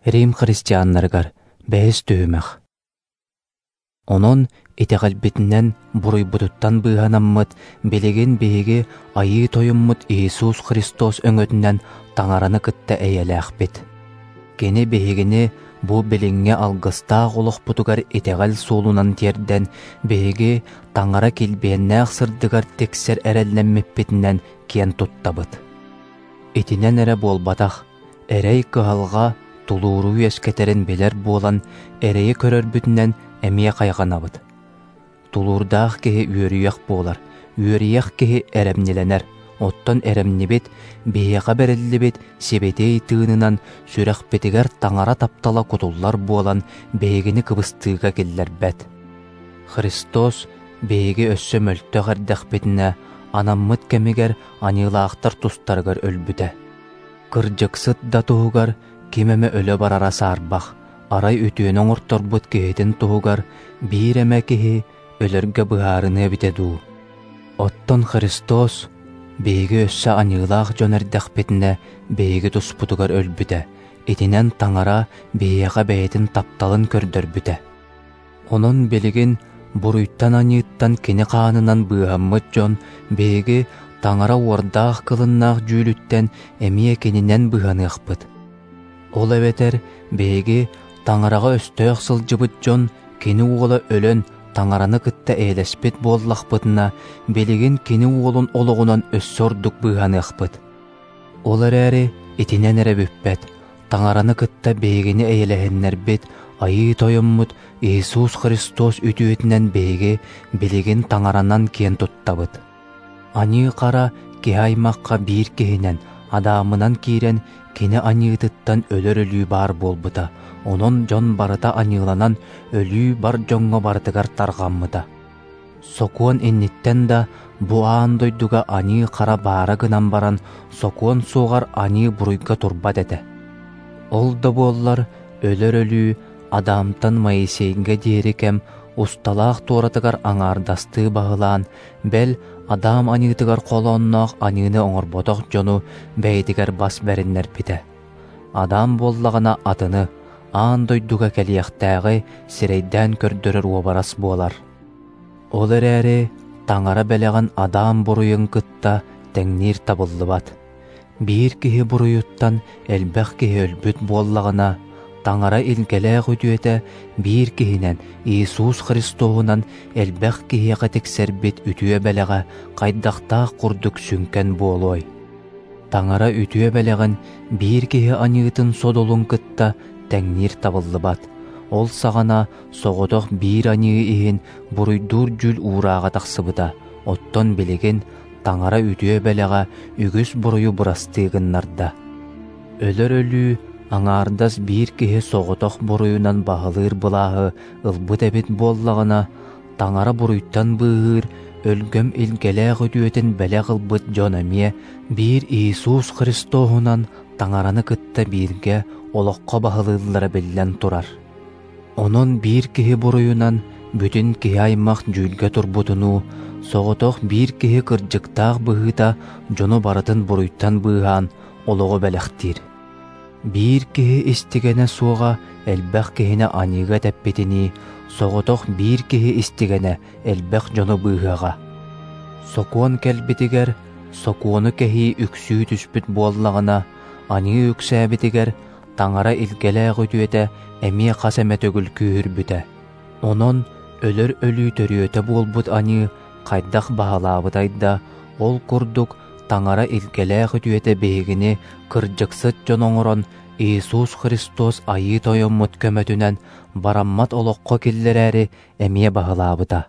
Рим христианнарыгар бэһис түһүмэх. Онон итэҕэлбитинэн буруйбутуттан быыһанаммыт, билигин биһиги Айыы Тойоммут Иисус Христос өҥөтүнэн Таҥараны кытта эйэлээхпит. Кини биһигини бу билиҥҥи алгыстаах олохпутугар итэҕэл суолунан тиэрдэн, биһиги Таҥара килбиэннээх сырдыгар тиксэр эрэллэммиппитинэн киэн туттабыт. Итинэн эрэ буолбатах, эрэй-кыһалҕа тулууру үөскэтэрин билэр буолан, эрэйи көрөрбүтүнэн эмиэ хайҕанабыт. Тулуурдаах киһи үөрүйэх буолар, үөрүйэх киһи эрэмньилэнэр, оттон эрэмньибит биһиэхэ бэриллибит сибэтиэй тыынынан сүрэхпитигэр Таҥара таптала кутуллар буолан биһигини кыбыстыыга киллэрбэт. Христос биһиги өссө мөлтөх эрдэхпитинэ анаммыт кэмигэр аньыылаахтар тустарыгар өлбүтэ. Кырдьыксыт да туһугар ким эмэ өлө барара саарбах, арай үтүөнү оҥорторбут киһитин туһугар биир эмэ киһи өлөргө быһаарыныа эбитэ дуу. Оттон Христос биһиги өссө аньыылаах дьон эрдэхпитинэ биһиги туспутугар өлбүтэ, итинэн Таҥара биһиэхэ бэйэтин тапталын көрдөрбүтэ. Онон билигин буруйтан-аньыыттан кини хаанынан быыһаммыт дьон биһиги Таҥара уордаах кылыннаах дьүүлүттэн эмиэ кининэн быыһаныахпыт. Ол эбэтэр биһиги Таҥараҕа өстөөх сылдьыбыт дьон кини уола өлөн Таҥараны кытта эйэлэспит буоллахпытына, билигин кини уолун олоҕунан өссө ордук быыһаныахпыт. Ол эрээри итинэн эрэ бүппэт, Таҥараны кытта биһигини эйэлэһиннэрбит Айыы Тойоммут Иисус Христос үтүөтүнэн биһиги билигин Таҥаранан киэн туттабыт. Аньыы-хара киһи аймахха биир киһинэн, Адамынан киирэн, кини аньыытыттан өлөр өлүү баар буолбута, онон дьон барыта аньыыланан, өлүү бар дьоҥҥо барытыгар тарҕаммыта. Сокуон инниттэн да бу аан дойдуга аньыы-хара баара гынан баран, сокуон суоҕар аньыы буруйга турбат этэ. Ол да буоллар, өлөр өлүү Адамтан Моисейга диэри кэм усталаах туоратыгар аҥаардастыы баһылаан, бэл, Адам аньыытыгар холоонноох аньыыны оҥорботох дьону бэйэтигэр бас бэриннэрбитэ. Адам буоллаҕына атыны, аан дойдуга кэлиэхтээҕи сирэйдээн көрдөрөр уобарас буолар. Ол эрээри Таҥара бэлэҕин Адам буруйун кытта тэҥниир табыллыбат. Биир киһи буруйуттан элбэх киһи өлбүт буоллаҕына, Таҥара илгэлээх үтүөтэ биир киһинэн Иисус Христоһунан элбэх киһиэхэ тиксэрбит үтүө бэлэҕэ хайдахтаах курдук сүҥкэн буолуой. Таҥара үтүө бэлэҕин биир киһи аньыытын содулун кытта тэҥниир табыллыбат. Ол саҕана соҕотох биир аньыы иһин буруйдуур дьүүл уурааҕа тахсыбыта, оттон билигин Таҥара үтүө бэлэҕэ үгүс буруйу бырастыы гыннарда. Өлөр өлүү аҥаардас биир киһи соҕотох буруйунан баһылыыр былааһы ылбыт эбит буоллаҕына, Таҥара буруйтан быыһыыр өлгөм илгэлээх үтүөтүн бэлэх ылбыт дьон эмиэ биир Иисус Христоһунан Таҥараны кытта бииргэ олоххо баһылыыллара биллэн турар. Онон биир киһи буруйунан бүтүн киһи аймах дьүүлгэ турбутунуу, соҕотох биир киһи кырдьыктаах быһыыта дьону барытын буруйтан быыһаан олоҕу бэлэхтиир. Биир киһи истигэнэ суоҕа элбэх киһини аньыыга тэппитинии, соҕотох биир киһи истигэнэ элбэх дьону быыһыаҕа. Сокуон кэлбитигэр, сокуону кэһии үксүү түспүт буоллаҕына, аньыы үксээбитигэр Таҥара илгэлээх үтүөтэ эмиэ хас эмэ төгүл күүһүрбүтэ. Онон өлөр өлүү төрүөтэ буолбут аньыы хайдах баһылаабытай да, ол курдук Таҥара илгэлээх үтүөтэ биһигини кырдьыксыт дьон оҥорон Иисус Христос Айыы Тойоммут көмөтүнэн бараммат олоххо киллэрээри эмиэ баһылаабыта.